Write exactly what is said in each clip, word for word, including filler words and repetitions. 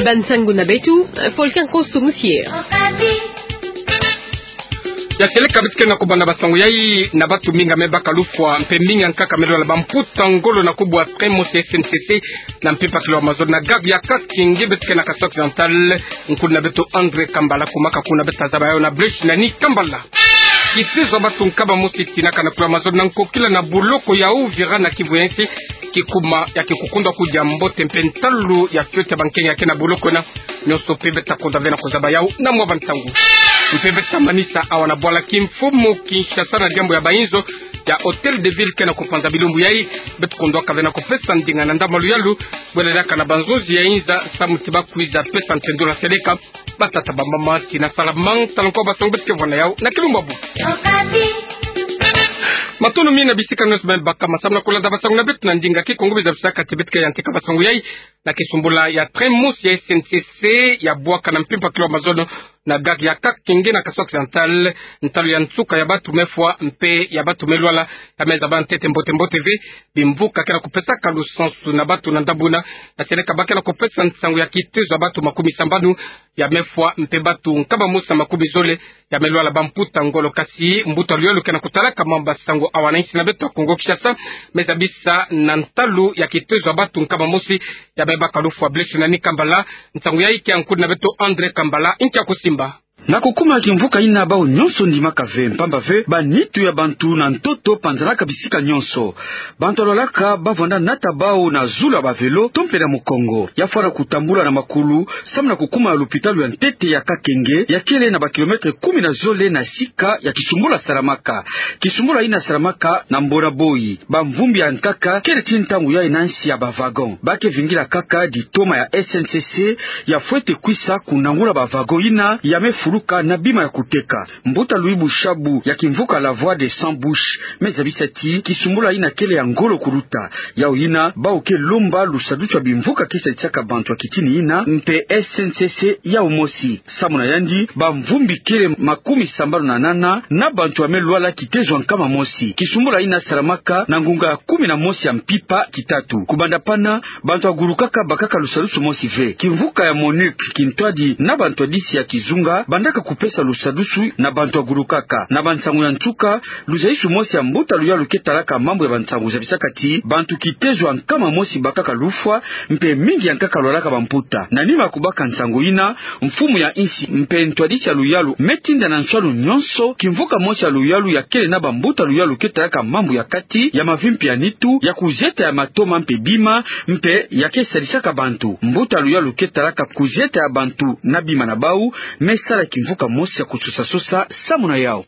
Bansangu na beto, Volcan Koso Musier. Ya seleka beto ke na kubanda basangu yai na batu mingi ya me baka lufwa, mpe mingi ya nkaka me lwala bamputa ngolo na kubu ya train mosi ya S N C C na mpimpa kilo ya mazono na gare ya Kakenge, beto ke na Kasai Occidental. Nkulu na beto André Kambala, kuma kakuna beto tazaba yawu na Blaise Nani Kambala. Kitezo ya batu nkama mosi tinaka na kilo ya mazono na nkokila na boloko ya Uvira na Kivu ya nsi, kikuma ya kikukundwa kudia mbote mpe ntalu ya fioti ya bankenya ke na boloko ena. Nyonso mpe beto ta kota ve na kuzaba yawu na mwa bantangu. Mpe beto ta manisa awa na bwala kimfumu Kinshasa na diambu ya bainzo ya Hôtel de Ville ke na kupanza bilumbu yai. Beto kondwaka ve na kupesa ndinga na ndambu ya luyalu, bwela diaka na banzonzi ya inza samu ti bakwiza pesa ntendula seleka. Batata, bamama, tina salamang, tala nkwa basangu beto ke vwanda yawu na kilumbu ya bubu. Matondo mingi na bisika nyonso beno bakama samu na kulanda basangu na beto na ndinga Kikongo. Biza bisaka ti beto ke yantika basangu yai na kisumbula ya train mosi ya S N C C ya bwaka na mpimpa kilo ya mazono na gare ya Kakenge na Kasai Occidental. Ntalu ya nsuka ya batu me fwa mpe ya batu me lwala ya me zaba ntete mbote mbote ve. Bimvuka ke na kupesaka lusansu na batu na ndambu ena, na seleka ba ke na kupesa nsangu ya kitezo ya batu makumi sambanu ya me fwa mpe batu nkama mosi na makumi zole ya me lwala bamputa ngolo. Kasi mbuta luyalu ke na kutalaka mambu ya basangu awa na insi na beto ya Kongo Kinshasa me zabisa na ntalu ya kitezo ya batu nkama mosi ya me baka lufwa. Blaise Nani Kambala, nsangu yai ke ya nkulu na beto André Kambala, nkia kusimba. Na kukuma ya kimvuka ina, bawu nyonso ndimaka ve, mpamba ve banitu ya bantu na ntoto panzanaka bisika nyonso. Bantu ya lwalaka bavwanda nata bawu na zulu ya bavelo to mpe na mukongo. Ya fwa na kutambula na makulu samu na kukuma ya lupitalu ya ntete ya Kakenge, ya kele na bakilometre kumi na zole na sika ya kisumbula salamaka. Kisumbula ina salamaka na Mbona Boyi. Bamvumbi ya nkaka kele ti ntangu yai na nsi ya bawagon. Ba ke vingila kaka ditoma ya S N C C ya fwete kwisa kunangula bawagon ina ya me fuluka na bima ya kuteka. Mbuta Louis Bushabu ya kimvuka La Voix des Cent Bouches me zabisa ti kisumbula ina kele ya ngolo kuluta. Yawu ina, bawu ke lomba lusadusu ya bimvuka ke sadisaka bantu ya kitini ina mpe S N C C yawu mosi. Samu na yandi, bamvumbi kele makumi sambanu na nana na bantu ya me lwala kitezo ya nkama mosi. Kisumbula ina salamaka na ngunga ya kumi na mosi ya mpimpa kitatu. Kubanda pana, bantu ya gulukaka bakaka lusadusu mosi ve. Kimvuka ya MONUC kintwadi na bantwadisi ya kizunga bandaka kupesa lusadusu na bantu ya gulukaka. Na bansangu ya nsuka, luzayisu mosi ya mbuta luyalu ke talaka mambu ya bansangu zabisaka ti bantu kitezo ya nkama mosi bakaka lufwa, mpe mingi ya nkaka lwalaka bamputa. Na nima ya kubaka nsangu ina, mfumu ya insi mpe ntwadisi ya luyalu me tinda na nswanu nyonso kimvuka mosi ya luyalu ya kele na bambuta luyalu ke talaka mambu ya kati ya mavimpi ya nitu, ya kuzieta ya matoma mpe bima, mpe ya ke sadisaka bantu. Mbuta luyalu ke talaka kuzieta ya bantu na bima na bawu me sala kimvuka mosi ya kusosasosa samu na yawu.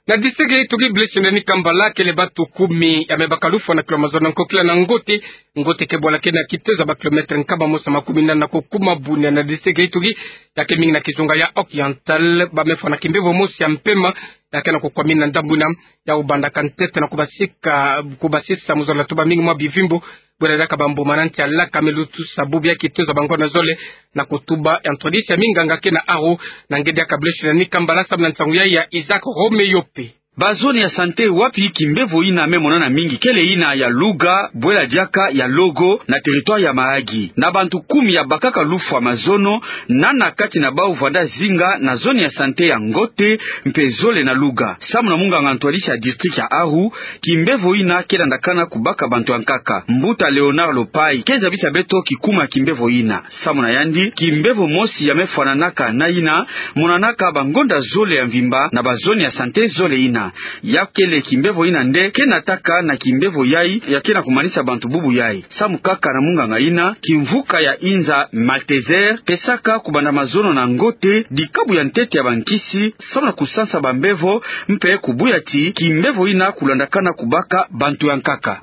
Na district ya Ituri, Blaise Nani Kambala, kele batu kumi ya me baka lufwa na kilo ya mazono na nkokila na Ngote. Ngote ke bwala ke na kitezo ya bakilometre nkama mosi na makumi nana na kukuma Bunia na district ya Ituri, ya ke mingi na kizunga ya Occidental. Ba me fwa na kimbevo mosi ya mpema ya ke na kukwamina na ndambu ina, ya kubandaka ntete na kubasika, kubasisa mu zola tuba mingi mwa bivimbu. Bwela diaka bambuma na nti ya laka me lutusa bubu ya kitezo ya bangonda zole na kutuba ya ntwadisi ya minganga ke na Aru. Na nge diaka Blaise Nani Kambala samu na nsangu yai ya Isaac Romeope. Bazone ya santé wapi kimbevo ina me monana mingi kele ina ya Louga, bwela diaka ya Logo na territoire ya Mahagi. Na bantu kumi ya bakaka lufwa mazono, nana kati na bawu vwanda zinga na zone ya santé ya Ngote mpe zole na Louga. Samu na munganga ntwadisi ya district ya Aru, kimbevo ina ke landakana kubaka bantu ya nkaka. Mbuta Léonard Lopayi ke zabisa beto kikuma kimbevo ina. Samu na yandi, kimbevo mosi ya me fwananaka na ina monanaka bangonda zole ya mvimba na bazone ya santé zole ina. Ya kele kimbevo ina nde ke nataka na kimbevo yai ya ke na kumanisa bantu bubu yai. Samu kaka na munganga ina, kimvuka ya inza Malteser pesaka kubanda mazono na Ngote dikabu ya ntete ya bankisi samu na kusansa bambevo mpe kubuya ti kimbevo ina kulandakana kubaka bantu ya nkaka.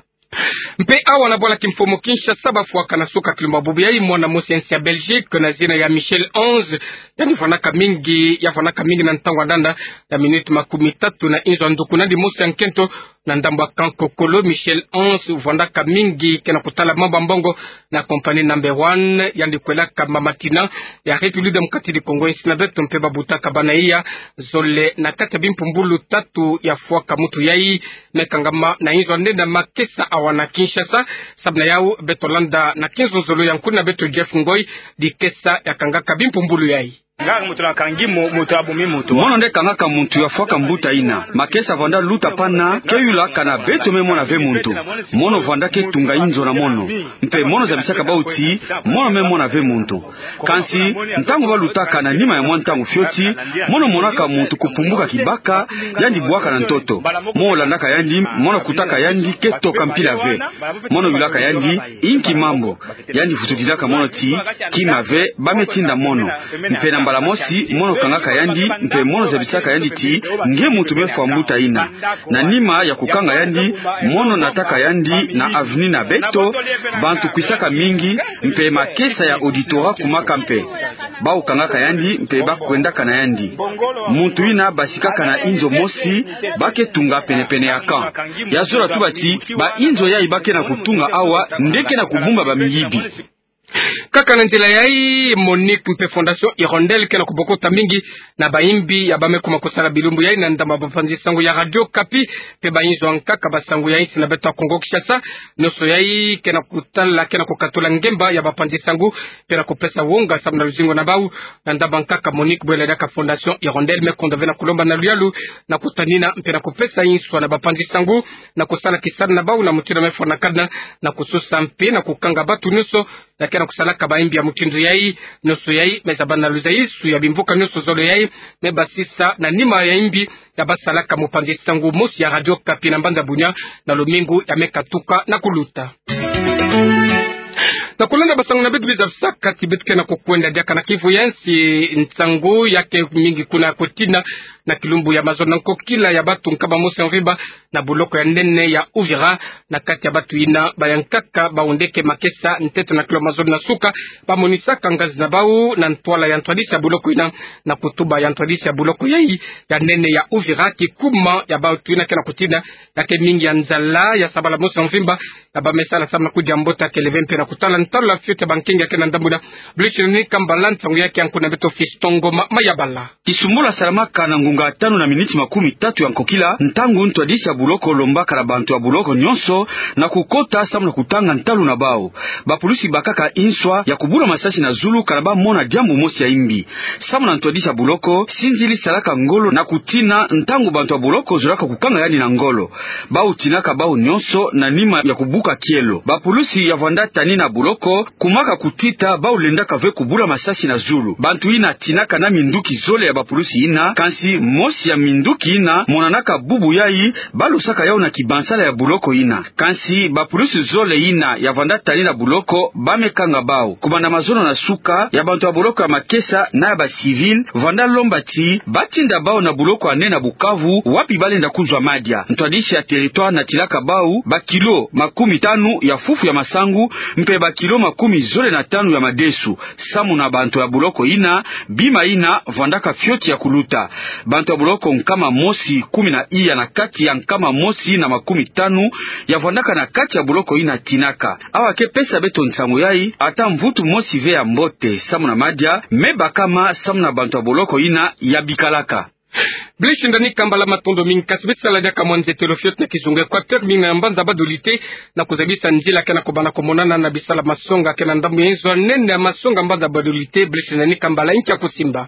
Mpe awa na bwala kimfumu Kinshasa, bafwaka na suka kilumbu ya bubu yai mwana mosi ya nsi ya Belgique na zina ya Michel Onze. Yandi fwanaka mingi, ya fwanaka mingi na ntangu ya ndanda ya minute makumi tatu na inzo ya nduku, na dimosi ya nkento na ndambu ya Kankokolo. Michel Onze fwandaka mingi ke na kutala mambu ya mbongo na compagnie Number One, yandi kwelaka mama Tina ya République Démocratique du Congo, insi na beto mpe babutaka bana iya zole na kati ya bimpumbulu tatu. Ya fwaka mutu yai me kangama na inzo ya ndenda makesa awa na Kinshasa. Kinshasa, samu na yau beto landa na kinzonzolo ya nkuna beto Jeff Ngoy, dikesa ya kangaka bimpumbulu yai. Nga muntu na kangi mo-, muntu abumi muntu. Mono nde kangaka muntu ya fwaka mbuta ina. Makesa vwanda luta pana, ke yula kana beto me mona ve muntu. Mono vwanda ke tunga inzo na mono. Mpe mono zabisaka bau ti, mono me mona ve muntu. Kansi, ntangu balutaka na nima ya mwa ntangu fioti, mono monaka muntu kupumbuka kibaka, yandi bwaka na ntoto. Mono landaka yandi, mono kutaka yandi ke toka mpila ve. Mono yulaka yandi, inki mambu. Yandi vututilaka mono ti, kima ve, ba me tinda mono. Mpe na mbala mosi, mono kangaka yandi, mpe mono zabisaka yandi ti, nge muntu me fwa mbuta ina. Na nima ya kukanga yandi, mono nataka yandi na avenue na beto, bantu kwisaka mingi, mpe makesa ya auditorat kumaka mpe. Bau kangaka yandi, mpe ba kwendaka na yandi. Muntu ina basikaka na inzo mosi, ba ke tunga penepene ya camp. Ya zola tuba ti, ba inzo yai ba ke na kutunga awa, nde ke na kubumba bamiyibi. Kaka na nzila yai, Monique mpe Fondation Hirondelle ke na kubokota mingi na bayimbi ya ba me kuma kusala bilumbu yai na ndambu ya bapanzi sango ya Radio Okapi, mpe bayinzo ya nkaka ba sango ya insi na beto ya Kongo Kinshasa, nionso yai ke na kutala, ke na kukatula ngemba ya bapanzi sango, mpe na kupesa wonga samu na luzingu na bau, na ndambu ya nkaka Monique Bwela diaka Fondation Hirondelle me kondwa ve na kulomba na luyalu, na kutanina, mpe na kupesa inswa na bapanzi sango, na kusala kisalu na bau na mutindu me fwana kadena, na kusosa mpe na kukanga bantu nionso, ya ke na kusalaka bayimbi ya mutindu yai, nionso yai, me zaba na luzaisu ya bimvuka nionso zole yai, me basisa na nima ya yimbi, ya basalaka mopanzi sango mosi ya Radio Okapi na mbanza Bunia, na lumingu ya me katuka na kuluta. Na kulanda ba sango na beto biza bisaka ti beto ke na kukwenda diaka na kivu ya nsi, nsangu ya ke mingi kuna kutina, na kilumbu ya mazono na nkokila ya bantu nkama mosi ya mvimba, na boloko ya nene ya Uvira, na kati ya bantu ina, ba ya nkaka, bau nde ke makesa, ntete na kilo mazono na suka, ba monisaka ngazi na bau, na ntwala ya ntwadisi ya boloko ina, na kutuba ya ntwadisi ya boloko yai, ya nene ya Uvira, kikuma ya bantu ina ke na kutina, ya ke mingi ya nzala, ya sabala mosi ya mvimba, ya ba me sala samu na kudia mbote ya kele ve mpe na kutala ntalula fioti ya bankengi ya ke na ndambu ina, Bluch Nikambala, nsangu ya ke ya nkuna beto Fiston Ngoma Mayabala. Kisumbula salamaka na ngonga tanu na miniti makumi tatu ya nkokila, ntangu ntwadisi ya boloko lombaka na bantu ya boloko nionso na kukota samu na kutanga ntalu na bau. Bapulusi bakaka inswa ya kubula masasi na zulu kana ba mona diambu mosi ya imbi. Samu na ntwadisi ya boloko, sinzili salaka ngolo na kutina ntangu bantu ya boloko zolaka kukanga yandi na ngolo. Bau tinaka bau nionso na nima ya kubuka kielo. Bapulusi ya vwanda tanina boloko, kumaka kutita bau lendaka ve kubula masasi na zulu. Bantu ina tinaka na minduki zole ya bapulusi ina, kansi mosi ya minduki ina monanaka bubu yai, ba losaka yau na kibansala ya boloko ina. Kansi bapulusi zole ina ya vwanda tanina boloko, ba me kanga bau. Kubanda mazono na suka, ya bantu ya boloko ya makesa na ya ba civil, vwanda lomba ti, ba tinda bau na boloko ya nene na Bukavu, wapi ba lenda kuzwa madia. Ntwadisi ya territoire natilaka bau, ba kilo makumi tanu ya fufu ya masangu, mpe ba kilo makumi zole na tanu ya madesu, samu na bantu ya boloko ina, bima ina vwandaka fioti ya kuluta. Bantu ya boloko nkama mosi kumi na iya na kati ya nkama mosi na makumi tanu ya vwandaka na kati ya boloko ina tinaka. Awa ke pesa beto nsangu yai, ata mvutu mosi ve ya mbote, samu na madia me bakama samu na bantu ya boloko ina ya bikalaka. Bluch Nikambala, matondo mingi, kasi bisaladi ya kamwa nzetelo fioti na kizunga Equateur, mingi na mbanza Bas-Dolite, na kuzabisa nzila ke na kubanda kumonana na bisala masonga ke na ndambu ya inzo ya nene ya masonga mbanza Bas-Dolite, Bluch Nikambala, inki ya kusimba.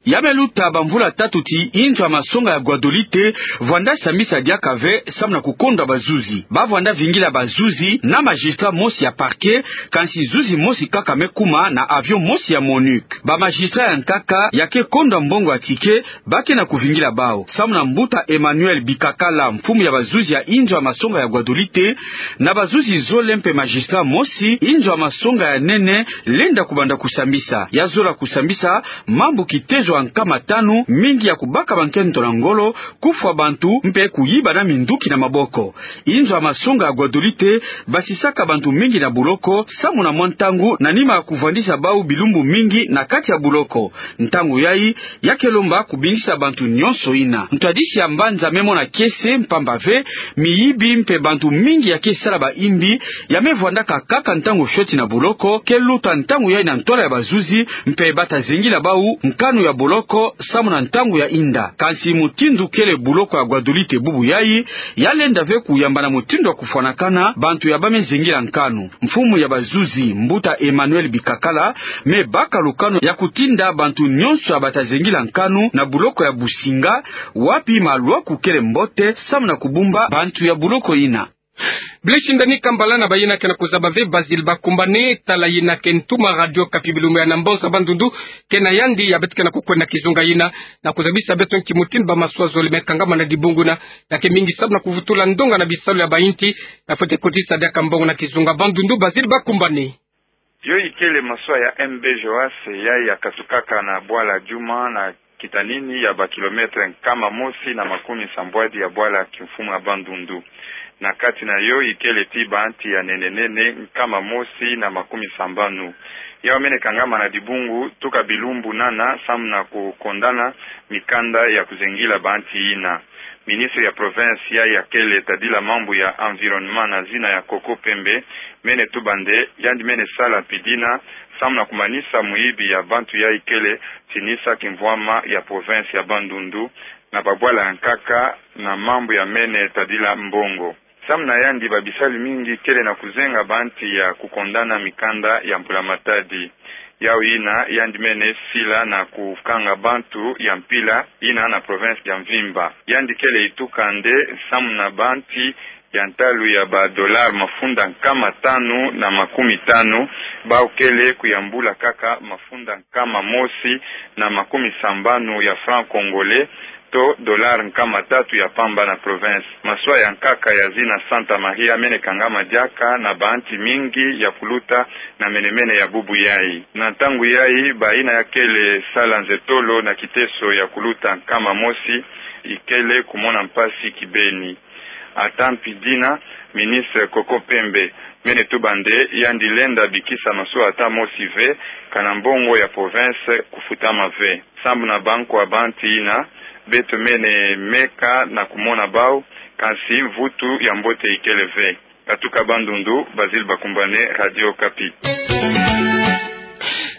Ya me luta bamvula tatu ti inzo ya masonga ya Guas-Dolite vwanda sambisa diaka ve samu na kukondwa bazuzi. Ba vwanda vingila bazuzi na magistrat mosi ya parquet, kansi zuzi mosi kaka me kuma na avion mosi ya MONUC. Ba magistrat ya nkaka ya ke kondwa mbongo ya ticket, ba ke na kuvingila bau. Samu na mbuta Emmanuel Bikakala, mfumu ya bazuzi ya inzo ya masonga ya Guas-Dolite, na bazuzi zole mpe magistrat mosi, inzo ya masonga ya nene lenda kubanda kusambisa. Ya zola kusambisa mambu kitezo ya nkama tanu, mingi ya kubaka bankento na ngolo, kufwa bantu, mpe kuyiba na minduki na maboko. Inzo ya masonga ya Guas-Dolite basisaka bantu mingi na boloko, samu na mwa ntangu, na nima ya kuvwandisa bau bilumbu mingi na kati ya boloko. Ntangu yai, ya ke lomba kubingisa bantu nionso ina. Ntwadisi ya mbanza me mona kiese, mpamba ve, miyibi mpe bantu mingi ya ke sala baimbi, ya me vwandaka kaka ntangu fioti na boloko, ke luta ntangu yai na ntwala ya bazuzi, mpe ba ta zingila bau nkanu ya boloko samu na ntangu ya inda. Kansi mutindu kele boloko ya Guadolite bubu yayi, ya lenda ve kuyamba na mutindu ya kufwanakana bantu ya bame zengila nkanu. Mfumu ya bazuzi, mbuta Emmanuel Bikakala, me baka lukanu ya kutinda bantu nyonso ya bata zengila nkanu na boloko ya Businga, wapi malwaku kele mbote samu na kubumba bantu ya boloko yina. Blaise Ndani Kambala na bayina ke na kuzaba ve Basile Bakumbane, tala yina ke ntuma Radio Okapi bilumbu ya na mbanza Bandundu, ke na yandi ya beto ke na kukwenda kizunga yina, na kuzabisa beto nki mutindu ba maswa zole me kangama na dibungu yina, ya ke mingi samu na kuvutula ndonga na bisalu ya bayinti, na fwete kotisa diaka mbongo na kizunga. Bandundu, Basile Bakumbane. Yo ikele maswa ya M B Joas, yayi ya katukaka na bwala Djuma na kitanini ya ba kilomètre nkama mosi na makumi sambwadi ya bwala kimfumu ya Bandundu. Na kati na yo ikele tii banti ya nene nene nkama mosi na makumi sambanu. Yau mene kangama na dibungu tuka bilumbu nana samu na kukondana mikanda ya kuzengila banti yina. Ministre ya province yayi ya kele tadila mambu ya environnement na zina ya Koko Pembe, mene tuba nde yandi mene sala mpidina samu na kumanisa muyibi ya bantu yayi kele tinisa kimvwama ya province ya Bandundu na babwala ya nkaka na mambu ya mene tadila mbongo. Samu na yandi babisalu mingi kele na kuzenga banti ya kukondana mikanda ya Mbula Matadi. Yau yina yandi mene sila na kukanga bantu ya mpila yina na province ya mvimba. Yandi kele ituka nde samu na banti ya ntalu ya ba dollar mafunda nkama tanu na makumi tanu, bau kele kuyambula kaka mafunda nkama mosi na makumi sambanu ya franc congolais, to dollar nkama tatu ya pamba na province. Maswa ya nkaka ya zina Santa Maria mene kangama diaka na banti mingi ya kuluta na mene mene ya bubu yayi. Na ntangu yayi, bayina ya kele sala nzetolo na kiteso ya kuluta nkama mosi ikele kumona mpasi kibeni. Ata mpidina, ministre Koko Pembe mene tuba nde yandi lenda bikisa maswa ata mosi ve, kana mbongo ya province kufutama ve. Sambu na bankwa banti yina, beto mene meka na kumona bau, kansi mvutu ya mbote ikele ve. Katuka Bandundu, Basile Bakumbane, Radio Okapi.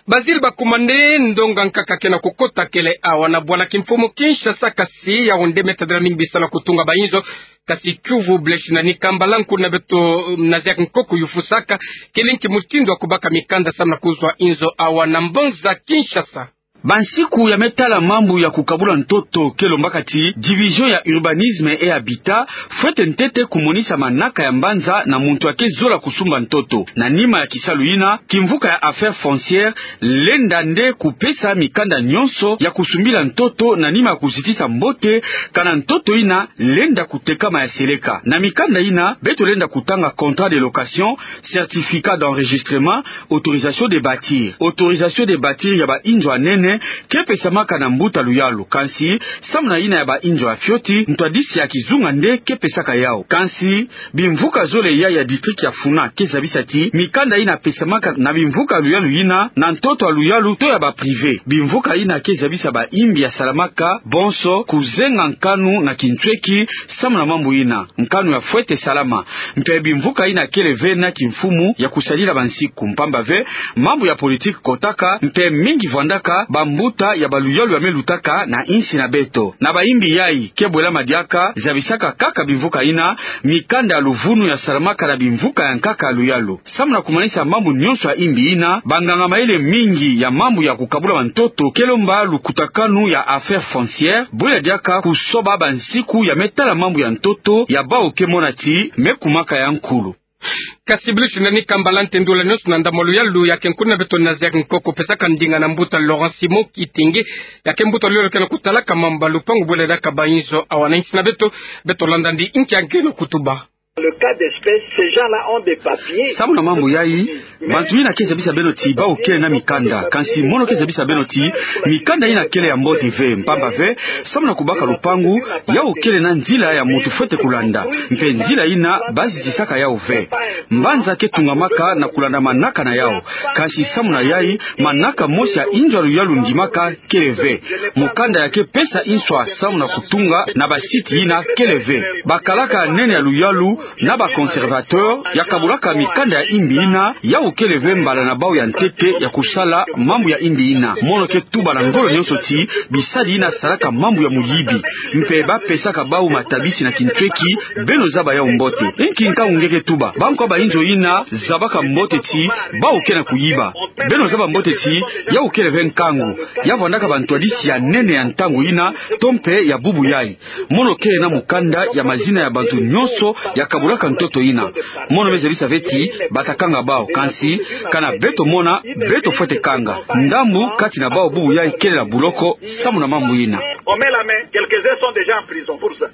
Basile Bakumbane, ndonga nkaka ke na kukota kele awa na bwala kimfumu Kinshasa, kasi yau nde me tadila mingi bisalu ya kutunga ba inzo. Kasi kiuvu Blaise Ndani Kambala, nkuna beto Nazaire Nkoko yufusaka kele nki mutindu ya kubaka mikanda samu na kuzwa inzo awa na mbanza Kinshasa. Bansiku ya me tala mambu ya kukabula ntoto ke lombaka ti Division ya Urbanisme et Habitat fwete ntete kumonisa manaka ya mbanza na muntu ake zola kusumba ntoto. Na nima ya kisalu yina, kimvuka ya Affaires Foncières lenda nde kupesa mikanda nyonso ya kusumbila ntoto na nima ya kuzitisa mbote kana ntoto yina lenda kutekama ya seleka. Na mikanda yina, beto lenda kutanga contrat de location, certificat d'enregistrement, autorisation de bâtir. Autorisation de bâtir ya ba inzo ya nene ke pesamaka na mbuta luyalu. Kansi, samu na yina ya ba inzo ya fioti, ntwadisi ya kizunga nde ke pesaka yau. Kansi, bimvuka zole ya, ya district ya Funa ke zabisa ti mikanda yina pesamaka na bimvuka luyalu yina na ntoto ya luyalu to ya ba privé. Bimvuka yina ke zabisa bayimbi ya salamaka bonso kuzenga nkanu na kinsweki samu na mambu yina. Nkanu ya fwete salama. Mpe bimvuka yina kele ve na kimfumu ya kusadila bansiku. Mpamba ve, mambu ya politique kotaka, mpe mingi vwandaka bambuta ya baluyalu ya me lutaka na insi na beto. Na bayimbi yayi ke bwelama diaka zabisaka kaka bimvuka yina, mikanda ya luvunu ya salamaka na bimvuka ya nkaka ya luyalu. Samu na kumanisa mambu nyonso ya yimbi yina, banganga mayele mingi ya mambu ya kukabula bantoto ke lomba lukutakanu ya Affaires Foncières bwela diaka kusoba bansiku ya me tala mambu ya ntoto ya bau ke mona ti me kumaka ya nkulu. Kasi Blaise Ndani Kambala, ntendula nyonso na ndambu ya luyalu, ya ke nkuna beto Nazaire Nkoko pesaka ndinga na mbuta Laurent Simon Kitenge, ya ke mbuta luyalu ke na kutalaka mambu ya lupangu bwela diaka ba inzo awa na insi na beto. Beto landa ndi nki ya nge na kutuba. Le cas d'espèce, ces gens-là ont des papiers. Samu na mambu yayi, bantu yina ke zabisa beno ti bau kele na mikanda. Kansi mono ke zabisa beno ti mikanda yina kele ya mbote ve, mpamba ve, samu na kubaka lupangu, yau kele na nzila ya muntu fwete kulanda. Mpe nzila yina bazitisaka yau ve. Mbanza ke tungamaka na kulanda manaka na yau. Kansi samu na yayi, manaka mosi ya inzo ya luyalu ndimaka kele ve. Mukanda ya ke pesa inswa samu na kutunga na ba site yina kele ve. Bakalaka nene ya luyalu na ba conservateur ya kabolaka mikanda ya imbi ina, yau kele ve mbala na bau ya ntete ya kusala mambu ya imbi ina. Mono ke tuba na ngolo nyonso ti bisadi ina salaka mambu ya muyibi, mpe ba pesaka bau matabisi na kintweki. Beno zaba yau mbote. Inki nkangu nge ke tuba? Bankwa ba inzo ina zabaka mbote ti bau ke na kuyiba. Beno zaba mbote ti yau kele ve nkangu, ya vandaka bantwadisi ya nene ya ntangu ina to mpe ya bubu yai. Mono ke na mukanda ya mazina ya bantu nyonso ya kabolaka ntoto ina. Mono me zabisa ve ti bata kanga bau, kansi kana beto mona, beto fwete kanga. Ndambu kati na bau bubu yai kele na buloko samu na mambu ina. On met la main, quelques-uns sont déjà en prison pour ça.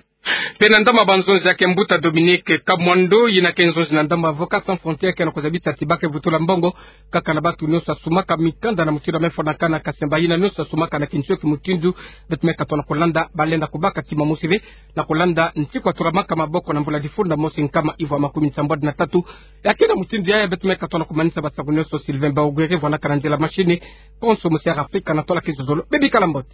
Mpe na ndambu ya banzonzi ya ke mbuta Dominique Kamwando, ina ke nzonzi na ndambu ya Avocats Sans Frontières, ke na kuzabisa ti ba ke vutula mbongo kaka na bantu nyonso ya sumaka mikanda na mutindu ya me fwanakana, kasi mba ina nyonso ya sumaka na kintweki mutindu, beto me katoa na kulanda, ba lenda kubaka ti mamusi ve na kulanda ntiku ya tulamaka maboko na mvula difuni na mosi nkama ivwa makumi nsambwadi na tatu. Ya ke na mutindu yaya beto me katoa na kumanisa basaku nyonso. Sylvain Baogwere vwanaka na nzila machine, konso musi ya Afrika na tola kizozolo. Bebikala mbote.